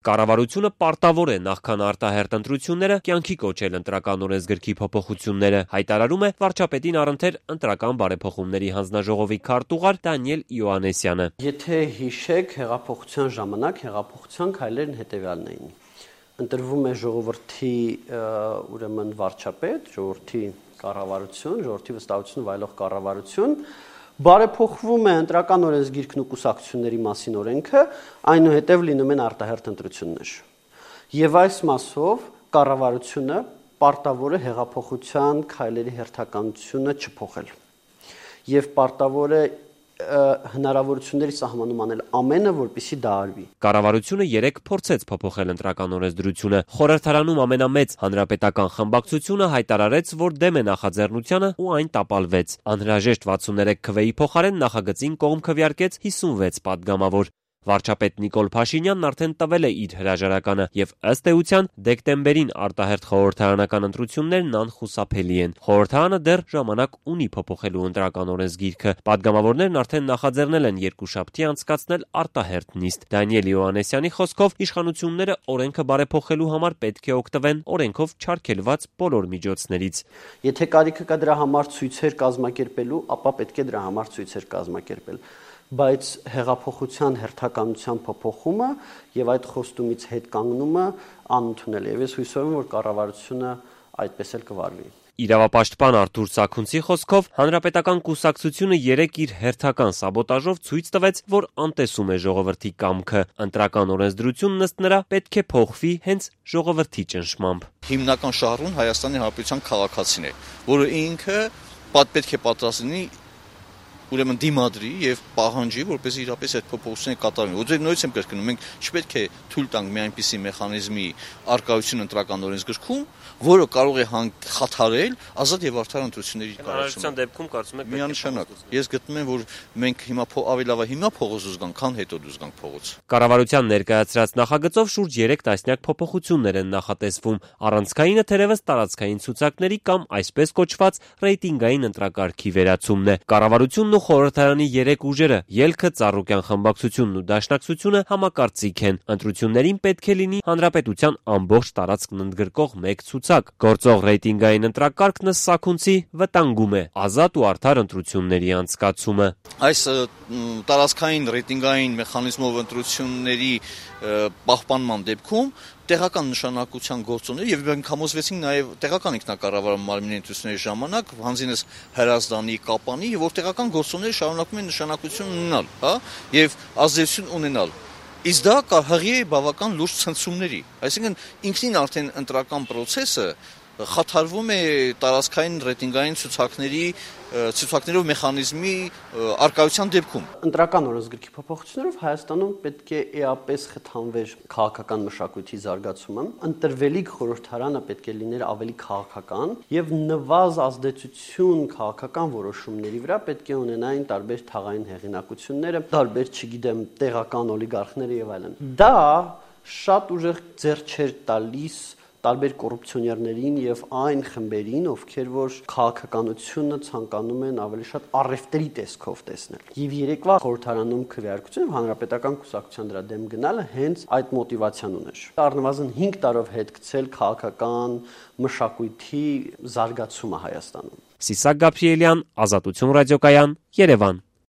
Կառավարությունը պարտավոր է նախքան արտահերթ ընտրությունները կյանքի կոչել ընտրական օրենսգրքի փոփոխությունները, հայտարարում է վարչապետին առընթեր ընտրական բարեփոխումների հանձնաժողովի քարտուղար Դանիել Իոաննեսյանը։ Եթե հիշեք, հեղափոխության ժամանակ հեղափոխության քայլերն հետևյալն էին։ Ընտրվում է ժողովրդի ուրեմն վարչապետ, ժողովրդի կառավարություն, ժողովրդի վստահություն վայելող կառավարություն, բարեփոխվում է ընտրական օրենսգիրքն ու կուսակցությունների մասին օրենքը, այնուհետև լինում են արտահերթ ընտրություններ։ Եվ այս մասով կառավարությունը պարտավոր է հեղափոխության քայլերի հերթականությունը չփոխել։ Եվ պարտավոր է հնարավորությունների սահմանում անել ամենը, որպեսզի դա արվի։ Կառավարությունը 3 փորձեց փոփոխել ընտրական օրենսդրությունը։ Խորհրդարանում ամենամեծ հանրապետական խմբակցությունը հայտարարեց, որ դեմ է նախաձեռնությանը ու այն տապալվեց։ Անհրաժեշտ 63 քվեի փոխարեն նախագծին կողմ քվեարկեց 56 падգամավոր։ Վարչապետ Նիկոլ Փաշինյանն արդեն տվել է իր հրաժարականը եւ ըստ էության դեկտեմբերին արտահերթ խորհրդարանական ընտրություններն անխուսափելի են։ Խորհրդարանը դեռ ժամանակ ունի փոփոխելու ընտրական օրենսգիրքը։ Падգամավորներն արդեն նախաձեռնել են երկուշաբթի անցկացնել արտահերթ նիստ։ Դանիել Իոաննեսյանի խոսքով իշխանությունները օրենքը բարեփոխելու համար պետք է օգտվեն օրենքով չարգելված բոլոր միջոցներից։ Եթե կարիքը կա դրա համար ցույցեր կազմակերպելու, ապա պետք է դրա համար ցույցեր կազմակերպել։ Բայց հեղափոխության հերթականության փոփոխումը եւ այդ խոստումից հետ կանգնումը անընդունել է։ Եվ ես հույսով եմ, որ կառավարությունը այդպես էլ կվարվի։ Իրավապաշտպան Արթուր Սաքունցի խոսքով հանրապետական կուսակցությունը 3 իր հերթական սաբոտաժով ցույց տվեց, որ անտեսում է ժողովրդի կամքը։ Ընտրական օրենսդրությունն ըստ նրա պետք է փոխվի հենց ժողովրդի ճնշմամբ։ Հիմնական շահառուն Հայաստանի Հանրապետության քաղաքացին է, որը ինքը պետք է պատրաստ լինի ուրեմն դիմադրի եւ պահանջի, որպեսզի իրապես այդ փոփոխությունները կատարվեն։ Ոչինչ նույնից եմ կրկնում, մենք չպետք է թույլ տանք մի այնպիսի մեխանիզմի արկայություն ընտրական օրենսգրքում, որը կարող է խաթարել ազատ եւ արդար ընտրությունների կառավարության դեպքում կարծում եք միանշանակ։ Ես գտնում եմ, որ մենք հիմա ավելի լավ է հիմա փողոց դուրս գանք, քան հետո դուրս գանք փողոց։ Կառավարության ներկայացրած նախագծով շուրջ 3 տասնյակ փոփոխություններ են նախատեսվում։ Առանցքայինը թերևս տարածքային ցուցակների կամ այսպես կոչված ռեյտինգային ընտրակարգի վերացումն է։ Կառավարությունն ու խորհրդարանի 3 ուժերը՝ Ելքը, Ծառուկյան խմբակցությունն ու Դաշնակցությունը համակարծիք են։ Ընտրություններին պետք է լինի հանրապետության ամբողջ տարածքն ընդգրկող մեկ ցուցակ։ Գործող ռեյտինգային ընտրակարգն ըստ Սաքունցի վտանգում է ազատ ու արդար ընտրությունների անցկացումը։ Այս տարածքային ռեյտինգային մեխանիզմով ընտրությունների պահպանման դեպքում տեղական նշանակության գործոններ եւ մենք համոզվեցինք նաեւ տեղական ինքնակառավարման մարմինների ընտրությունների ժամանակ հանձինս Հրազդանի, Կապանի, որ տեղական գործոնները շարունակում են նշանակություն ունենալ, հա, եւ ազդեցություն ունենալ։ Իսկ դա հղի է բավական լուրջ ցնցումների։ Այսինքն ինքնին արդեն ընտրական process-ը խաթարվում է տարածքային ռեյտինգային ցուցակներով մեխանիզմի արկայության դեպքում։ Ընտրական օրենսգրքի փոփոխություններով Հայաստանում պետք է էապես խթանվեր քաղաքական մշակույթի զարգացումը, ընտրվելիք խորհրդարանը պետք է լիներ ավելի քաղաքական եւ նվազ ազդեցություն քաղաքական որոշումների վրա պետք է ունենային տարբեր թաղային հեղինակությունները, տարբեր, չգիտեմ, տեղական օլիգարխները եւ այլն։ Դա շատ ուժեղ ձեռ չէր տալիս տարբեր կոռուպցիոներներին եւ այն խմբերին, ովքեր որ քաղաքականությունը ցանկանում են ավելի շատ առևտրի տեսքով տեսնել։ Եվ երեկվա խորհրդարանում քվեարկությունը հանրապետական կուսակցության դրա դեմ գնալը հենց այդ մոտիվացիան ուներ։ Առնվազն 5 տարով հետ գցել քաղաքական մշակույթի զարգացումը Հայաստանում։ Սիսակ Գաբրիելյան, Ազատություն ռադիոկայան, Երևան։